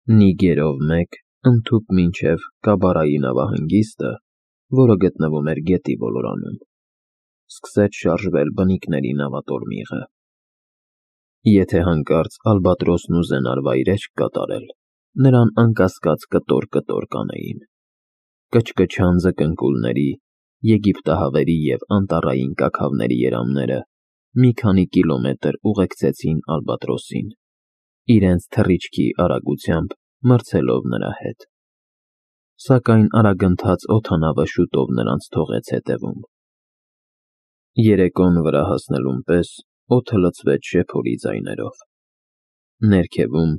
Նիգերով մեկ ընդհուպ մինչև Կաբարայի նավահանգիստը, որը գտնվում էր գետի ոլորանում, սկսեց շարժվել բնիկների նավատորմիղը։ Եթե հանկարծ ալբատրոսն ուզենար վայրէջք կատարել, նրան անկասկած կտոր կանեին։ Կչկչան ձկնկուլների, եգիպտահավերի և անտառային կաքավների երամները մի քանի կիլոմետր ուղեկցեցին ալբատրոսին, իրենց թռիչքի արագությամբ մրցելով նրա հետ։ Սակայն արագընթաց օդանավը շուտով նրանց թողեց հետևում։ Երեկոն վրա հասնելուն պես օդը լցվեց շեփորի ձայներով։ Ներքևում,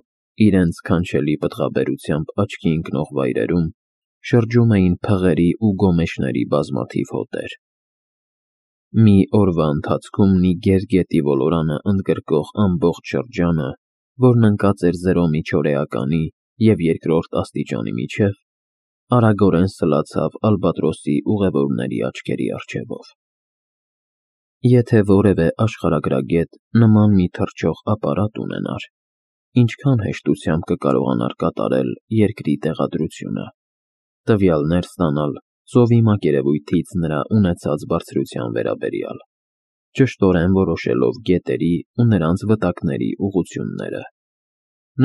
իրենց քանչելի պտղաբերությամբ աչքի ընկնող վայրերում, շրջում էին փղերի ու գոմեշների բազմաթիվ հոտեր։ Մի օրվա ընթացքում Նիգեր գետի ոլորանը ընդգրկող ամբողջ շրջանը, որն ընկած էր 0 միջօրեականի և 2-րդ աստիճանի միջև, արագորեն սլացավ ալբատրոսի ուղևորների աչքերի առջևով։ Եթե որևէ աշխարհագրագետ նման մի թռչող ապարատ ունենար, ինչքան հեշտությամբ կկարողանար կատարել երկրի տեղադրությունը, տվյալներ ստանալ ծովի մակերևույթից նրա ունեցած բարձրության վերաբերյալ, ճշտորեն որոշելով գետերի ու նրանց վտակների ուղղությունները,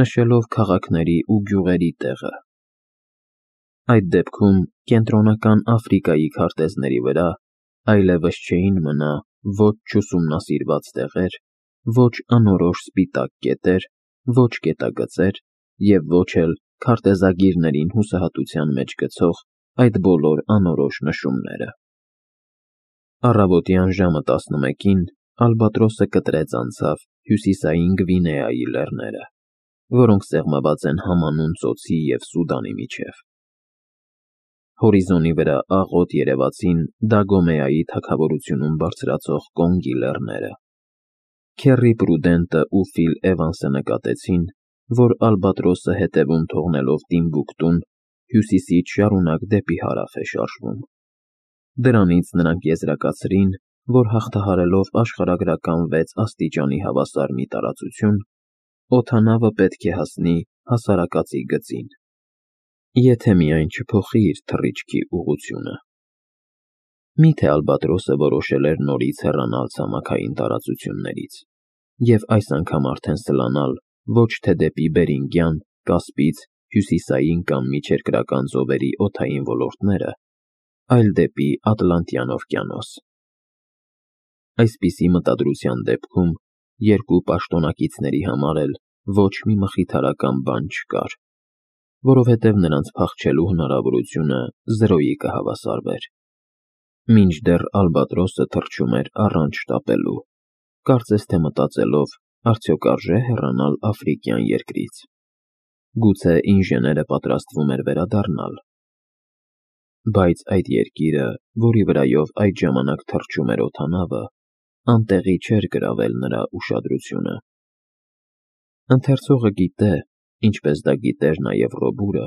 նշելով քաղաքների ու գյուղերի տեղը։ Այդ դեպքում Կենտրոնական Աֆրիկայի քարտեզների վրա այլևս չէին մնա ոչ չուսումնասիրված տեղեր, ոչ անորոշ սպիտակ կետեր, ոչ գետագծեր և ոչ էլ քարտեզագիրներին հուսահատության մեջ գցող այդ բոլոր անորոշ նշումները։ Առավոտյան ժամը 11-ին ալբատրոսը կտրեց անցավ Հյուսիսային Գվինեայի լեռները, որոնք սեղմված են Համանուն ծոցի և Սուդանի միջև։ Հորիզոնի վրա աղոտ երևացին Դագոմեայի թագավորությունում բարձրացող Կոնգի լեռները։ Քեռի Պրուդենտը ու Ֆիլ Էվանսը նկատեցին, որ ալբատրոսը հետևում թողնելով Տիմբուկտուն, հյուսիսից շարունակ դեպի հարավ է շարժվում։ Դրանից նրանք եզրակացրին, որ հաղթահարելով աշխարհագրական 6 աստիճանի հավասար մի տարածություն, օդանավը պետք է հասնի հասարակածի գծին, եթե միայն չփոխի իր թռիչքի ուղղությունը։ Միթե ալբատրոսը որոշել էր նորից հեռանալ ցամաքային տարածություններից և այս անգամ արդեն սլանալ ոչ թե դեպի Բերինգյան, Կասպից, Հյուսիսային կամ Միջերկրական ծովերի օդային ոլորտները, այլ դեպի Ատլանտյան օվկիանոս։ Այսպիսի մտադրության դեպքում երկու պաշտոնակիցների համար էլ ոչ մի մխիթարական բան չկար, որովհետև նրանց փախչելու հնարավորությունը 0-ի կհավասարվեր։ Մինչդեռ ալբատրոսը թռչում էր առանց շտապելու, կարծես թե մտածելով, արդյոք արժե հեռանալ աֆրիկյան երկրից։ Գուցե ինժեները պատրաստվում էր վերադառնալ։ Բայց այդ երկիրը, որի վրայով այդ ժամանակ թռչում էր օդանավը, անտեղի չէր գրավել նրա ուշադրությունը։ Ընթերցողը գիտե, ինչպես դա գիտեր նաև Ռոբուրը,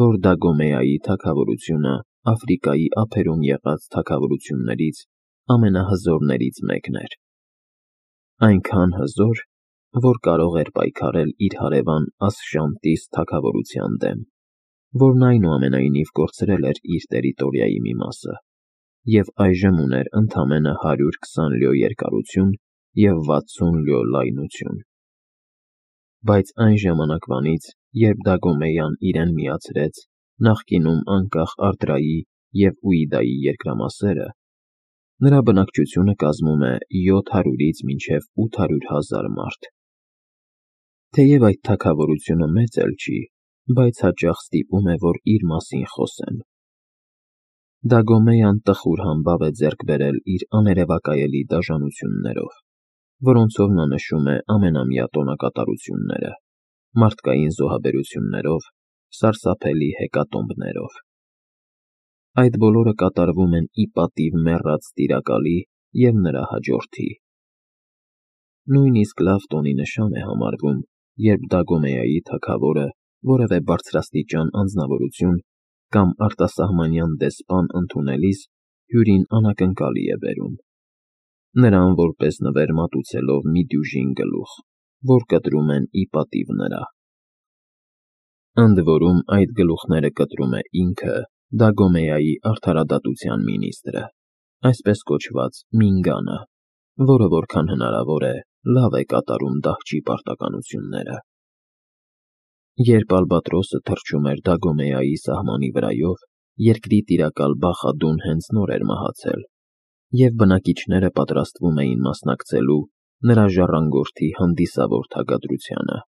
որ Դագոմեայի թագավորությունը Աֆրիկայի ափերում եղած թագավորություններից ամենահզորներից մեկն էր։ Այնքան հզոր, որ կարող էր պայքարել իր հարևան Ասշանտիս թագավորության դեմ, որն այնուամենայնիվ կորցրել էր իր տերիտորիայի մի մասը և այժմ ուներ ընդամենը 120 լյո երկարություն և 60 լյո լայնություն։ Բայց այն ժամանակվանից, երբ Դագոմեյան իրեն միացրեց նախկինում անկախ Արդրայի և Ուիդայի երկրամասերը, նրա բնակչությունը կազմում է 700-ից մինչև 800 հազար մարդ։ Թեև այդ թագավորությունը մեծ էլ չի, բայց հաճախ ստիպում է, որ իր մասին խոսեն։ Դագոմեյան տխուր համբավ է ձեռք բերել իր աներևակայելի դաժանություններով, որոնցով նա նշում է ամենամյա տոնակատարությունները, մարդկային զոհաբերություններով, սարսափելի հեկատոմբներով։ Այդ բոլորը կատարվում են ի պատիվ մեռած տիրակալի և նրա հաջորդի։ Նույնիսկ լավ տոնի նշան է համարվում, երբ Դագոմեայի թագավորը որևէ բարձրաստիճան անձնավորություն կամ արտասահմանյան դեսպան ընդունելիս հյուրին անակնկալի է բերում, նրան որպես նվեր մատուցելով մի դյուժին գլուխ, որ կտրում են ի պատիվ նրա։ Ընդ որում այդ գլուխները կտրում է ինքը Դագոմեայի արդարադատության մինիստրը, այսպես կոչված Մինգանը, որը որքան հնարավոր է լավ է կատարում դահչի պարտականությունները։ Երբ Ալբատրոսը թռչում էր Դագոմեայի սահմանի վրայով, երկրի տիրակալ Բախադուն հենց նոր էր մահացել, և բնակիչները պատրաստվում էին մասնակցելու նրա ժառանգորդի հանդիսավոր թագադրությանը։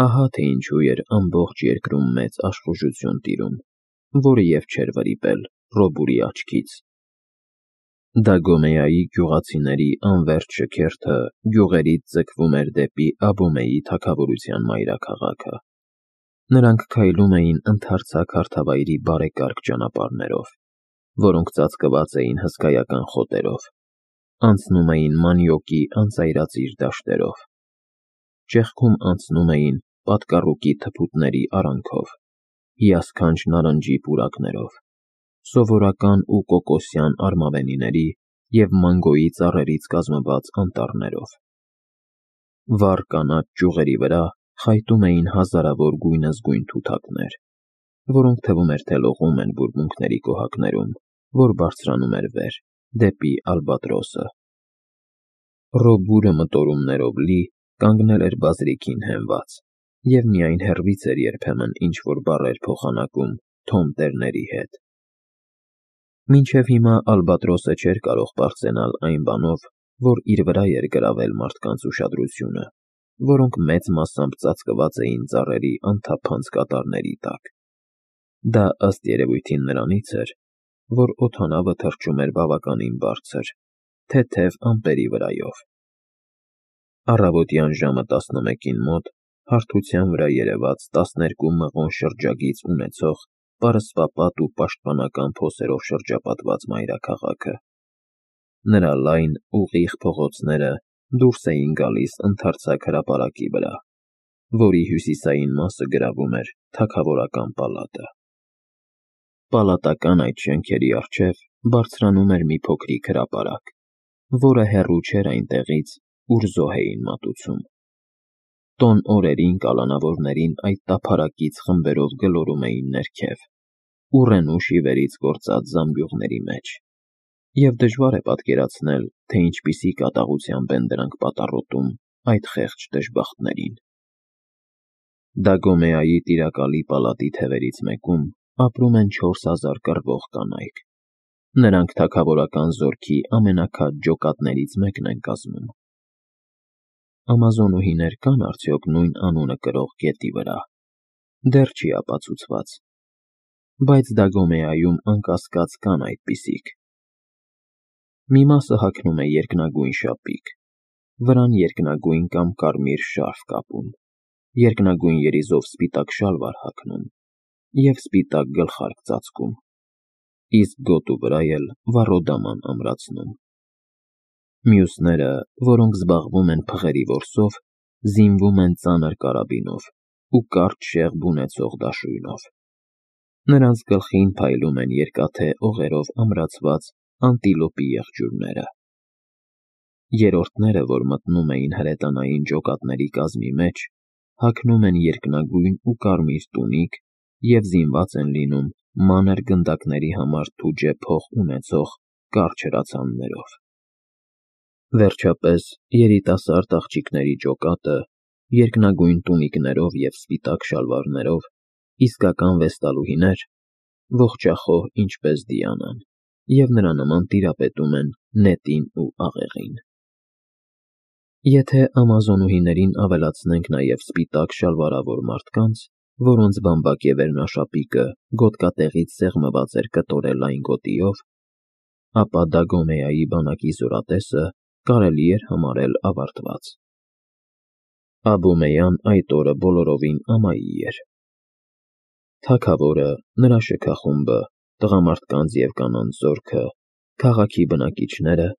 Ահա թե ինչու էր ամբողջ երկրում մեծ աշխուժություն տիրում, որը և չէր վրիպել Ռոբուրի աչքից։ Դագոմեայի գյուղացիների անվերջ շքերթը գյուղերից ձգվում էր դեպի Աբոմեի թագավորության մայրաքաղաքը։ Նրանք քայլում էին ընդարձակ հարթավայրի բարեկարգ ճանապարհներով, որոնք ծածկված էին հսկայական խոտերով, անցնում էին մանյոկի անծայրածիր դաշտերով, ճեղքում անցնում էին պատկառուկի թփուտների արանքով, հիասքանչ նարնջի պուրակներով, սովորական ու կոկոսյան արմավենիների և մանգոյի ծառերից կազմված անտառներով։ Վառ կանաչ ճյուղերի վրա խայտում էին հազարավոր գույնզգույն թութակներ, որոնք թվում էր թե լողում են բուրմունքների կոհակներում, որ բարձրանում էր վեր, դեպի Ալբատրոսը։ Ռոբուրը մտորումներով լի կանգնել էր բազրիքին հենված, և միայն հեռվից էր երբեմն ինչ-որ բառեր փոխանակում Թոմ տերների հետ։ Մինչև հիմա Ալբատրոսը չէր կարող պարծենալ այն բանով, որ իր վրա էր գրավել մարդկանց ուշադրությունը, որոնք մեծ մասամբ ծածկված էին ծառերի անթափանց կատարների տակ։ Դա ըստ երևույթին նրանից էր, որ օդանավը թռչում էր բավականին բարձր, թեթև ամպերի վրայով։ Առավոտյան ժամը 11-ին մոտ հարթության վրա երևաց 12 մղոն շրջագիծ ունեցող պարսպապատ ու պաշտպանական փոսերով շրջապատված մայրաքաղաքը։ Նրա լայն, ուղիղ փողոցները դուրս էին գալիս ընդարձակ հրապարակի վրա, որի հյուսիսային մասը գրավում էր թագավորական պալատը։ Պալատական այդ շենքերի առջև բարձրանում էր մի փոքրիկ հրապարակ, որը հեռու չէր այնտեղից, ուր զոհ էին մատուցում։ Տոն օրերին կալանավորներին այդ տափարակից խմբերով գլորում էին ներքև, ուռենու շիվերից գործած զամբյուղների մեջ, և դժվար է պատկերացնել, թե ինչպիսի կատաղությամբ են դրանք պատառոտում այդ խեղճ դժբախտներին։ Դագոմեայի տիրակալի պալատի թևերից մեկում ապրում են 4000 կռվող կանայք։ Նրանք թագավորական զորքի ամենաքաջ ջոկատներից մեկն են կազմում։ Ամազոնուհիներ կան արդյոք նույն անունը կրող գետի վրա։ Դեռ չի ապացուցված, բայց Դագոմեայում անկասկած կան այդպիսիք։ Մի մասը հագնում է երկնագույն շապիկ, վրան երկնագույն կամ կարմիր շարֆ կապում, երկնագույն երիզով սպիտակ շալվար հագնում և սպիտակ գլխարկ ծածկում, իսկ գոտու վրա էլ վառոդաման ամրացնում։ Մյուսները, որոնք զբաղվում են փղերի որսով, զինվում են ծանր կարաբինով ու կարճ շեղբ ունեցող դաշույնով։ Նրանց գլխին փայլում են երկաթե օղերով ամրացված անտիլոպի եղջյուրները։ Երրորդները, որ մտնում էին հրետանային ջոկատների կազմի մեջ, հագնում են երկնագույն ու կարմիր տունիկ և զինված են լինում մանր գնդակների համար թուջե փող ունեցող կարճ հրացաններով։ Վերջապես, երիտասարդ աղջիկների ջոկատը, երկնագույն տունիկներով և սպիտակ շալվարներով, իսկական վեստալուհիներ, ողջախոհ ինչպես Դիանան, և նրա նման տիրապետում են նետին ու աղեղին։ Եթե ամազոնուհիներին ավելացնենք նաև սպիտակ շալվարավոր մարդկանց, որոնց բամբակ և վերնաշապիկը գոտկատեղից սեղմված էր կտորե լայն գոտիով, ապա Դագոմեայի բանակի զորատեսը կարելի էր համարել ավարտված։ Աբոմեյան այդ օրը բոլորովին ամայի էր։ Թագավորը, նրա շքախումբը, տղամարդկանց և կանանց զորքը, քաղաքի բնակիչները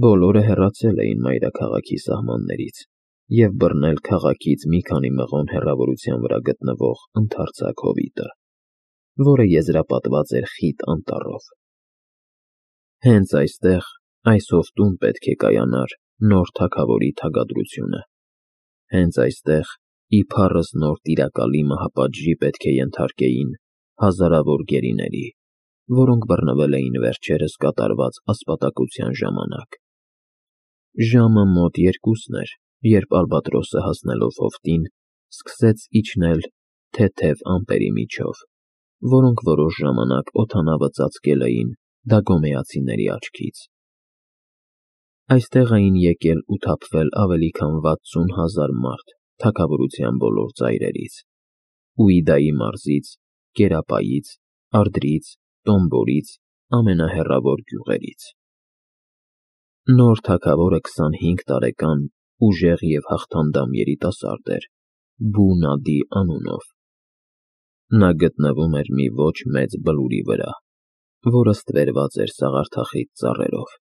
բոլորը հեռացել էին մայրաքաղաքի սահմաններից և բռնել քաղաքից մի քանի մղոն հեռավորության վրա գտնվող ընդարձակ հովիտը, որը եզրապատված էր խիտ անտառով։ Հենց այստեղ, այս հովտում պետք է կայանար նոր թագավորի թագադրությունը։ Հենց այստեղ իբարս նոր տիրակալի մահապատժի պետք է ենթարկեին հազարավոր գերիների, որոնք բռնվել էին վերջերս կատարված ասպատակության ժամանակ։ Ժամը մոտ 2-ն էր, երբ Ալբատրոսը հասնելով հովտին, սկսեց իջնել թեթև ամպերի միջով, որոնք որոշ ժամանակ օդանավը ծածկել էին դագոմեացիների աչքից։ Այստեղ էին եկել ու թափվել ավելի քան 60,000 մարդ թագավորության բոլոր ծայրերից՝ Ուիդայի մարզից, Կերապայից, Արդրից, Տոմբորից, ամենահեռավոր գյուղերից։ Նոր թագավորը 25 տարեկան ուժեղ և հաղթանդամ երիտասարդ էր, Բու Նադի անունով։ Նա գտնվում էր մի ոչ մեծ բլուրի վրա, որը ստվերված էր սաղարթախիտ ծառերով։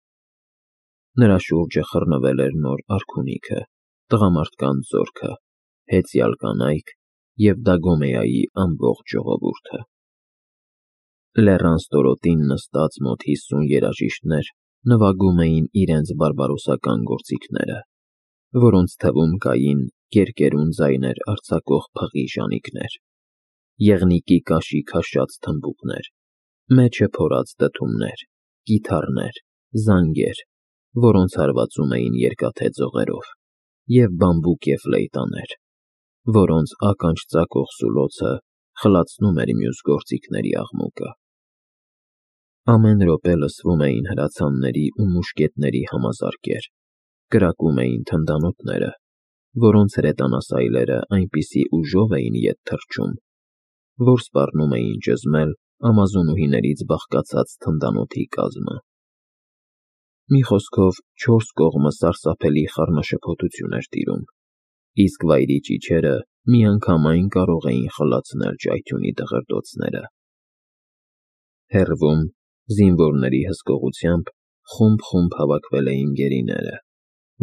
Նրա շուրջը խռնվել էր նոր արքունիքը, տղամարդկանց զորքը, հեծյալ կանայք և Դագոմեայի ամբողջ ժողովուրդը։ Լեռան ստորոտին նստած մոտ 50 երաժիշտներ նվագում էին իրենց բարբարոսական գործիքները, որոնց թվում կային կերկերուն ձայներ արձակող փղի ժանիքներ, եղնիկի կաշի քաշած թմբուկներ, մեջը փորած դդումներ, կիթառներ, զանգեր, որոնց հարվածում էին երկաթե ձողերով, և բամբուկ և ֆլեյտաներ, որոնց ականջ ծակող սուլոցը խլացնում էր մյուս գործիքների աղմուկը։ Ամեն րոպե լսվում էին հրացանների ու մուշկետների համազարկեր, կրակում էին թնդանոթները, որոնց հրետանասայլերը այնպիսի ուժով էին ետ թռչում, որ սպառնում էին ճզմել ամազոնուհիներից բաղկացած թնդանոթի կազմը։ Մի խոսքով, 4 կողմը սարսափելի խառնաշփոթություն էր տիրում, իսկ վայրի ճիչերը միանգամայն կարող էին խլացնել ճայթյունի դղրդոցները։ Հեռվում, զինվորների հսկողությամբ, խումբ-խումբ հավաքվել էին գերիները,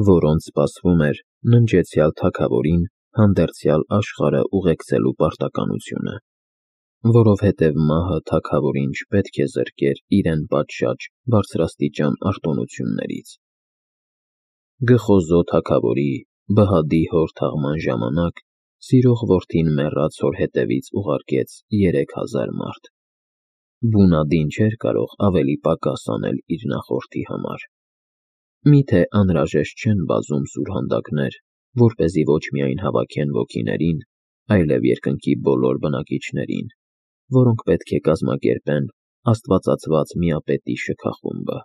որոնց սպասվում էր ննջեցյալ թագավորին հանդերձյալ աշխարհը ուղեկցելու պարտականությունը, որովհետև մահը թագավորին չպետք է զրկեր իրեն պատշաճ բարձրաստիճան արտոնություններից։ Գխոզո թագավորի Բհադի հոր թաղման ժամանակ սիրող որդին մեռած հոր հետևից ուղարկեց 3000 մարդ։ Բու Նադին չէր կարող ավելի պակաս անել իր նախորդի համար։ Միթե անհրաժեշտ չեն բազում սուրհանդակներ, որպեսզի ոչ միայն հավաքեն ոգիներին, այլև երկնքի բոլոր բնակիչներին, որոնք պետք է կազմակերպեն աստվածացված միապետի շքախումբը։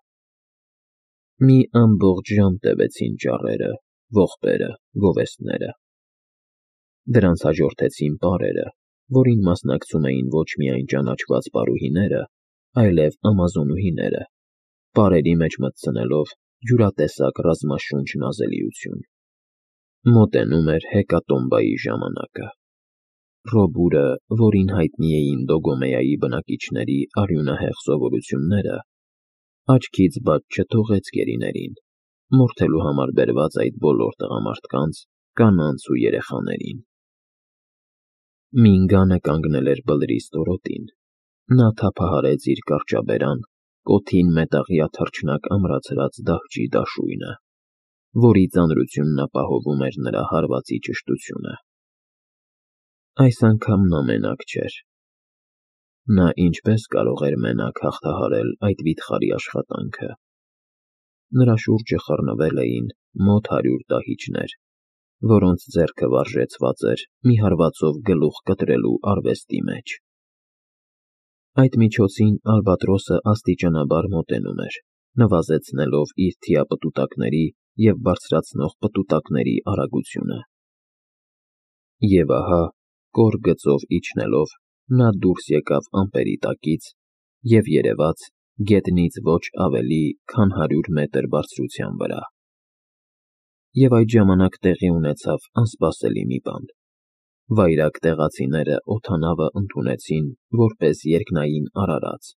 Մի ամբողջ ժամ տևեցին ճառերը, ողբերը, գովեստները։ Դրանց հաջորդեցին պարերը, որին մասնակցում էին ոչ միայն ճանաչված պարուհիները, այլև ամազոնուհիները, պարերի մեջ մտցնելով յուրատեսակ ռազմաշունչ նազելիություն։ Մոտենում էր հեկատոմբայի ժամանակը։ Ռոբուրը, որին հայտնի էին Դոգոմեայի բնակիչների արյունահեղ սովորությունները, աչքից բաց չթողեց գերիներին, մորթելու համար բերված այդ բոլոր տղամարդկանց, կանանց ու երեխաներին։ Մինգանը կանգնել էր բլրի ստորոտին։ Նա թափահարեց իր կարճաբերան, կոթին մետաղյա թռչնակ ամրացրած դահջի դաշույնը, որի ծանրությունն ապահովում էր նրա հարվածի ճշտությունը։ Այս անգամ նա մենակ չէր։ Նա ինչպես կարող էր մենակ հաղթահարել այդ վիթխարի աշխատանքը։ Նրա շուրջը խռնվել էին մոտ 100 դահիճներ, որոնց ձեռքը վարժեցված էր մի հարվածով գլուխ կտրելու արվեստի մեջ։ Այդ միջոցին Ալբատրոսը աստիճանաբար մոտենում էր, նվազեցնելով իր թիապտուտակների և բարձրացնող պտուտակների արագությունը։ Եվ ահա, կոր գծով իջնելով, նա դուրս եկավ ամպերի տակից և երևաց գետնից ոչ ավելի, քան 100 մետր բարձրության վրա։ Եվ այդ ժամանակ տեղի ունեցավ անսպասելի մի բան։ Վայրագ տեղացիները օդանավը ընդունեցին որպես երկնային արարած,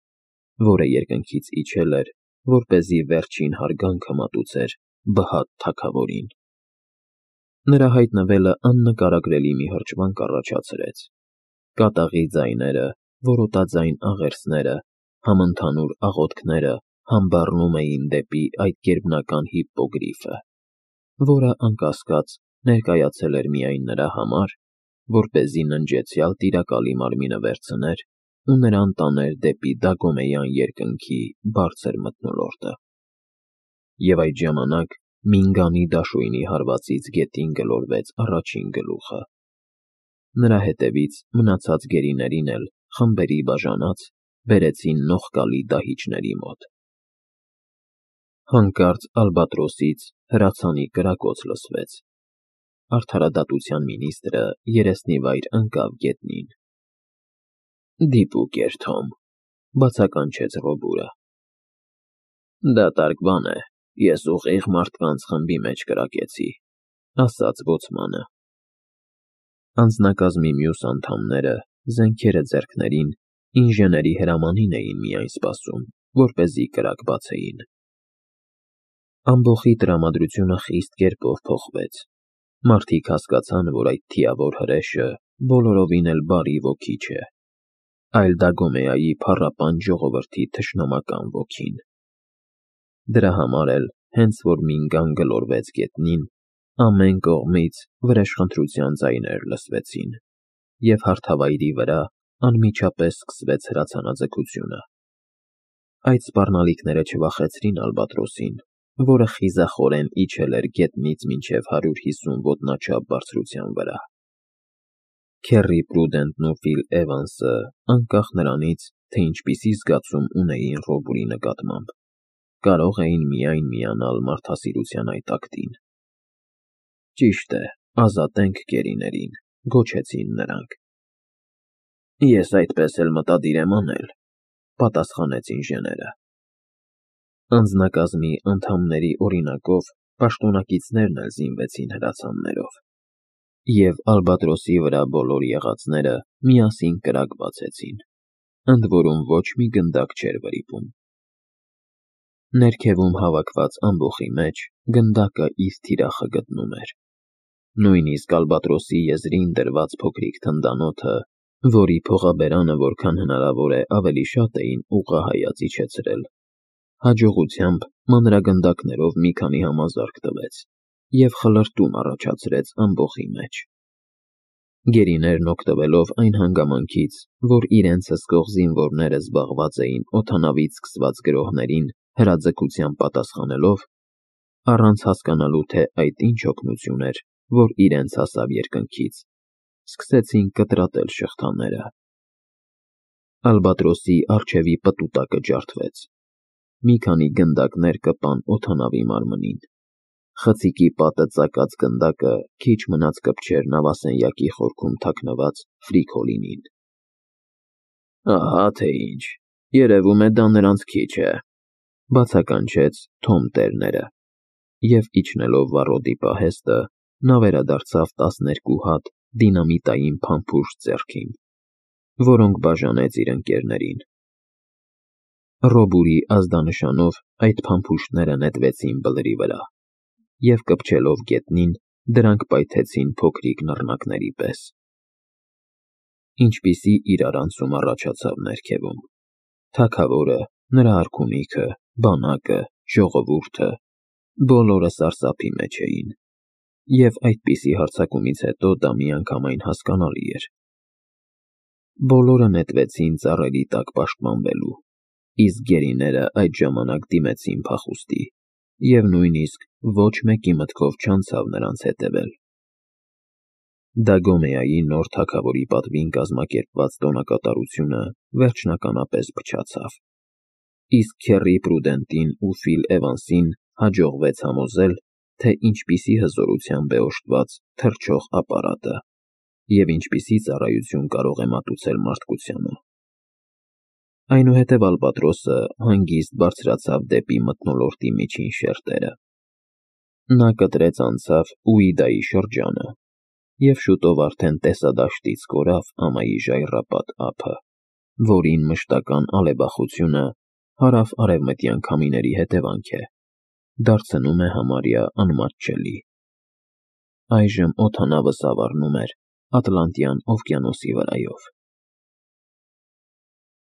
որը երկնքից իջել էր, որպեսզի վերջին հարգանքը մատուցեր Բհադ թագավորին։ Նրա հայտնվելը աննկարագրելի մի հրճվանք առաջացրեց։ Կատաղի ձայները, որոտաձայն աղերսները, համընդհանուր աղոթքները համբառնում էին դեպի այդ գերբնական հիպպոգրիֆը, որը, անկասկած, ներկայացել էր միայն նրա համար որպեսզի ննջեցյալ տիրակալի մարմինը վերցներ ու նրան տաներ դեպի Դագոմեյան երկնքի բարձր մթնոլորտը։ Եվ այդ ժամանակ Մինգանի դաշույնի հարվածից գետին գլորվեց առաջին գլուխը։ Նրա հետևից մնացած գերիներին էլ խմբերի բաժանած բերեցին նողկալի դահիճների մոտ։ Հանկարծ ալբատրոսից հրացանի կրակոց լսվեց։ Արդարադատության մինիստրը երեսնիվայր ընկավ գետնին։ «Դիպուկ էր, Թոմ», բացականչեց Ռոբուրը։ «Դատարկ բան է, ես ուղիղ մարդկանց խմբի մեջ կրակեցի», ասաց բոցմանը։ Անձնակազմի մյուս անդամները, զենքերը ձեռքներին, ինժեների հրամանին էին միայն սպասում, որպեսզի կրակ բացեին։ Ամբոխի տրամադրությունը խիստ կերպով փոխվեց։ Մարդիկ հասկացան, որ այդ թիավոր հրեշը բոլորովին էլ բարի ոգի չէ, այլ Դագոմեայի փառապան ժողովրդի թշնամական ոգին։ Դրա համար էլ, հենց որ Մինգան գլորվեց գետնին, ամեն կողմից վրեժխնդրության ձայներ լսվեցին, և հարթավայրի վրա անմիջապես սկսվեց հրացանաձգությունը։ Այդ սպառնալիքները չվախեցրին ալբատրոսին, որը խիզախորեն իջել էր գետնից մինչև 150 ոտնաչափ բարձրության վրա։ Քեռի Պրուդենտն ու Ֆիլ Էվանսը, անկախ նրանից, թե ինչպիսի զգացում ունեին Ռոբուրի նկատմամբ, կարող էին միայն միանալ մարդասիրության այդ ակտին։ «Ճիշտ է, ազատենք գերիներին», գոչեցին նրանք։ «Ես այդպես էլ մտադիր եմ անել», պատասխանեց ինժեները։ Անձնակազմի անդամների օրինակով պաշտոնակիցներն էլ զինվեցին հրացաններով, և ալբատրոսի վրա բոլոր եղածները միասին կրակ բացեցին, ընդ որում ոչ մի գնդակ չէր վրիպում։ Ներքևում հավաքված ամբոխի մեջ գնդակը իր թիրախը գտնում էր։ Նույնիսկ ալբատրոսի եզրին դրված փոքրիկ թնդանոթը, որի փողաբերանը որքան հնարավոր է ավելի շատ էին ուղղահայաց իջեցրել, հաջողությամբ մանրագնդակներով մի քանի համազարկ տվեց և խլրտում առաջացրեց ամբոխի մեջ։ Գերիներն օգտվելով այն հանգամանքից, որ իրենց հսկող զինվորները զբաղված էին օդանավից սկսված գրոհներին հրաձգությամբ պատասխանելով, առանց հասկանալու, թե այդ ինչ օգնություն էր, որ իրենց հասավ երկնքից, սկսեցին կտրատել շղթաները։ Ալբատրոսի առջևի պտուտակը ջարդվեց։ Մի քանի գնդակներ կպան օդանավի մարմնին։ Խցիկի պատը ծակած գնդակը քիչ մնաց կպչեր նավասենյակի խորքում թաքնված ֆրիքոլինին։ «Ահա թե ինչ, երևում է դա նրանց քիչ է», բացականչեց Թոմ Տերները, և իջնելով վառոդի պահեստը, նա վերադարձավ 12 հատ դինամիտային փամփուշտ ձեռքին, որոնք բաժանեց իր ընկերներին։ Ռոբուրի ազդանշանով այդ փամփուշտները նետվեցին բլրի վրա, և կպչելով գետնին, դրանք պայթեցին փոքրիկ նռնակների պես։ Ինչպիսի իրարանցում առաջացավ ներքևում։ Թագավորը, նրա արքունիքը, բանակը, ժողովուրդը բոլորը սարսափի մեջ էին, և այդպիսի հարձակումից հետո դա միանգամայն հասկանալի էր։ Բոլորը նետվեցին ծառերի տակ պաշտպանվելու, իսկ գերիները այդ ժամանակ դիմեցին փախուստի, և նույնիսկ ոչ մեկի մտքով չանցավ նրանց հետևել։ Դագոմեայի նոր թագավորի պատվին կազմակերպված տոնակատարությունը վերջնականապես փչացավ, իսկ Քեռի Պրուդենտին ու Ֆիլ Էվանսին հաջողվեց համոզել, թե ինչպիսի հզորությամբ է օժտված թռչող ապարատը և ինչպիսի ծառայություն կարող է մատուցել մարդկությանը։ Այնուհետև ալբատրոսը հանգիստ բարձրացավ դեպի մթնոլորտի միջին շերտերը։ Նա կտրեց անցավ Ուիդայի շրջանը և շուտով արդեն տեսադաշտից կորավ ամայի ժայռապատ ափը, որին մշտական ալեբախությունը հարավ-արևմտյան քամիների հետևանք է, դարձնում է համարյա անմատչելի։ Այժմ օդանավը սավառնում էր Ատլանտյան օվկիանոսի վրայով։